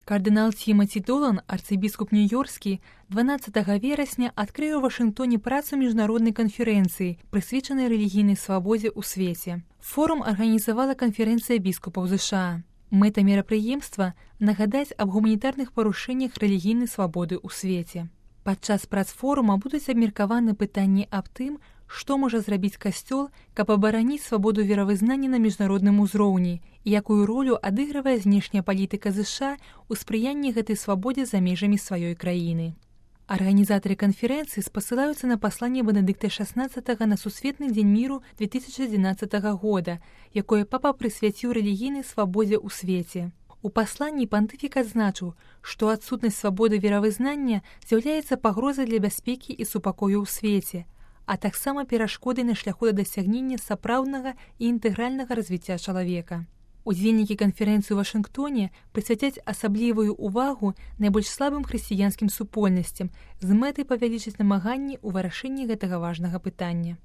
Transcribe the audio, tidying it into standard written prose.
Кардынал Тімоті Долан, арцыбіскуп нью-йорскі, 12 верасня адкрыў у Вашынгтоне працу міжнароднай канферэнцыі, прысвечанай рэлігійнай свабодзе ў свеце. Форум арганізавала канферэнцыя біскупаў ЗША. Мэта мерапрыемства – нагадаць аб гуманітарных парушэннях рэлігійнай свабоды ў свеце. Падчас прац форума будуць абмеркаваны пытанні аб тым, што можа зрабіць касцёл, каб абараніць свабоду веравызнання на міжнародным узроўні і якую ролю адыгрывае знешняя палітыка ЗША ў спрыянні гэтай свабодзе за межамі сваёй краіны. Арганізатары канферэнцыі спасылаюцца на пасланне Бенедыкта XVI на Сусветны дзень міру 2011 года, якое папа прысвяціў рэлігійнай свабодзе ў свеце. У пасланні пантыфік адзначыў, што адсутнасць свабоды веравызнання з'яўляецца пагрозай для бяспекі і супакою ў свеце, а таксама перашкодай на шляху да дасягнення сапраўднага і інтэгральнага развіцця чалавека. Удзельнікі канферэнцыі ў Вашынгтоне прысвяцяць асаблівую ўвагу найбольш слабым хрысціянскім супольнасцям з мэтай павялічыць намаганні ў вырашэнні гэтага важнага пытання.